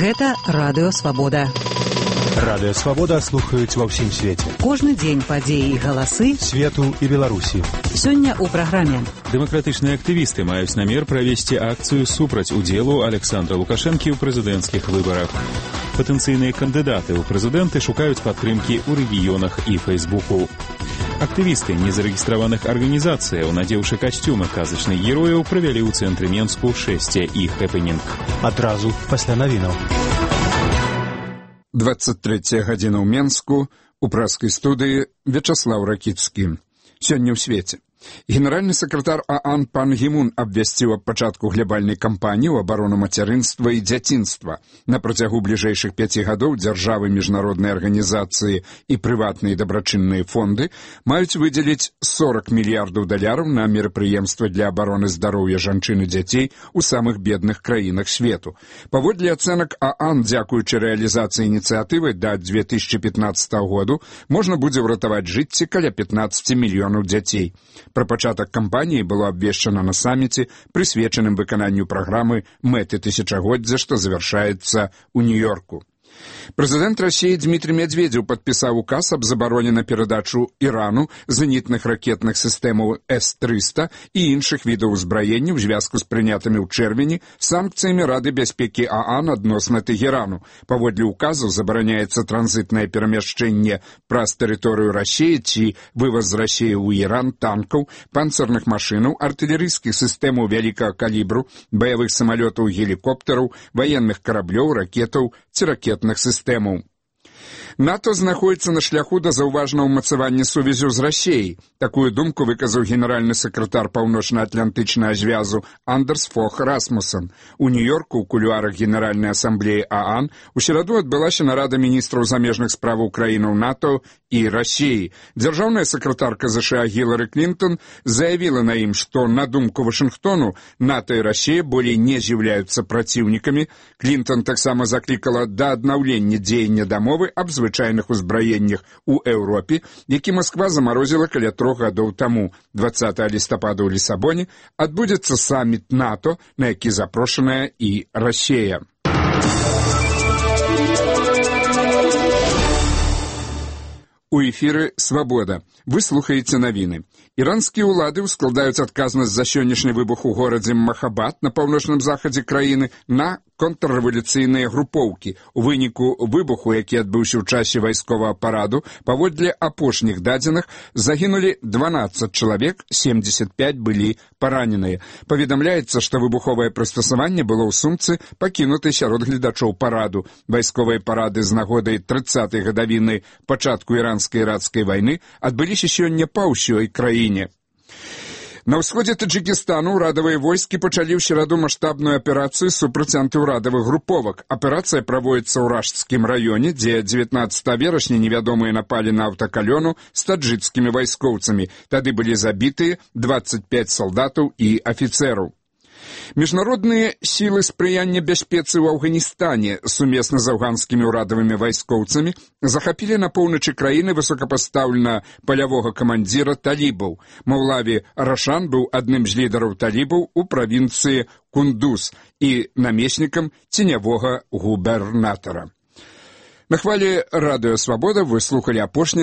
Гэта Радыё Свабода. Радыё Свабода слухаюць ва ўсім свеце. Кожны дзень падзеі і галасы свету і Беларусі. Сёння ў праграме. Дэмакратычныя актывісты маюць намер правесці акцыю супраць удзелу Александра Лукашэнкі ў прэзідэнцкіх выбарах. Патэнцыйныя кандыдаты ў прэзідэнты шукаюць падтрымкі ў рэгіёнах і Фэйсбуку. Актывісты незарэгістраваных арганізацыяў, надзеўшы касцюмы казачных герояў, правялі ў цэнтры Менску шэсце і хэпэнінг. Адразу пасля навінаў. 23 гадзіна ў Менску, у праскай студыі Вячаслаў Ракіцкі. Сёння ў свеце. Генеральны сакратар ААН пан Гімун абвясціў аб пачатку глябальнай кампаніі ў абарону мацярынства і дзяцінства. На працягу бліжэйшых 5 гадоў дзяржавы, міжнародныя арганізацыі і прыватныя дабрачынныя фонды маюць выдзеліць $40 мільярдаў на мерапрыемствы для абароны здароўя жанчын і дзяцей у самых бедных краінах свету. Паводле ацэнак ААН, дзякуючы рэалізацыі ініцыятывы да 2015 году можна будзе ўратаваць жыцці каля 15 мільёнаў дзяцей. Пра пачатак кампаніі было абвешчана на саміце, прысвечаным выкананню праграмы «Мэты тысячагоддзя», што завяршаецца ў Нью-Йорку. Прэзідэнт Расіі Дмітрый Медведзеў падпісаў указ аб забароне на перадачу Ірану зенітных ракетных сістэмаў С-300 і іншых відаў узбраення ў звязку з прынятымі ў чэрвені санкцыямі Рады бяспекі ААН адносна Тэгерану. Паводле указу забараняецца транзітнае перамяшчэнне праз тэрыторыю Расіі ці вываз з Расіі ў Іран танкаў, панцырных машынаў, артылерыйскіх сістэмаў вялікага калібру, баявых самалётаў, гелікоптараў, ваенных караблёў, ракетаў ці ракетных сістэмаў. НАТО знаходіцца на шляху да заўважнага ўмацавання сувязю з Расіяй. Такую думку выказаў генеральны сакратар паўночна-атлантычнага звязу Андерс Фох Расмуссен. У Нью-Йорку ў кулуарах Генеральнай асамблеі ААН у сераду адбылася нарада міністраў замежных справаў краінаў НАТО і Расіі. Дзяржаўная сакратарка ЗША Гілары Клінтон заявіла на ім, што, на думку Вашынгтону, НАТО і Расія болей не з'яўляюцца праціўнікамі. Клінтон таксама заклікала да аднаўлення дзеяння дамовы аб звычайных узбраеннях у Еўропе, які Масква замарозіла каля 3 гадоў таму. 20 лістапада ў Лісабоне адбудзецца саміт НАТО, на які запрошаная і Расія. У эфіры «Свабода». Вы слухаеце навіны. Іранскія ўлады ўскладаюць адказнасць за сённяшні выбух у горадзе Махабад на паўночным захадзе краіны на контррэвалюцыйныя групоўкі. У выніку выбуху, які адбыўся ў часе вайсковага параду, паводле апошніх дадзеных загінулі 12 чалавек, 75 былі параненыя. Паведамляецца, што выбуховае прыстасаванне было ў сумцы, пакінутай сярод гледачоў параду. Вайсковыя парады з нагодай 30-й гадавіны пачатку іранска-іракскай вайны адбыліся сёння па ўсёй краіне. На ўсходзе Таджыкістану ўрадавыя войскі пачалі ў сераду маштабную аперацыю супраць антыўрадавых груповак. Аперацыя праводзіцца ў Ражскім раёне, дзе 19 верасня невядомыя напалі на аўтакалёну з таджыкскімі вайскоўцамі. Тады былі забітыя 25 салдатаў і афіцэраў. Міжнародныя сілы спрыяння бяспецы ў Афганістане сумесна з афганскімі ўрадавымі вайскоўцамі захапілі на поўначы краіны высокапастаўленага палявога камандзіра талібаў. Маўлаві Рашан быў адным з лідараў талібаў у правінцыі Кундуз і намеснікам ценявога губернатара. На хвалі Радыё Свабода вы слухалі апошні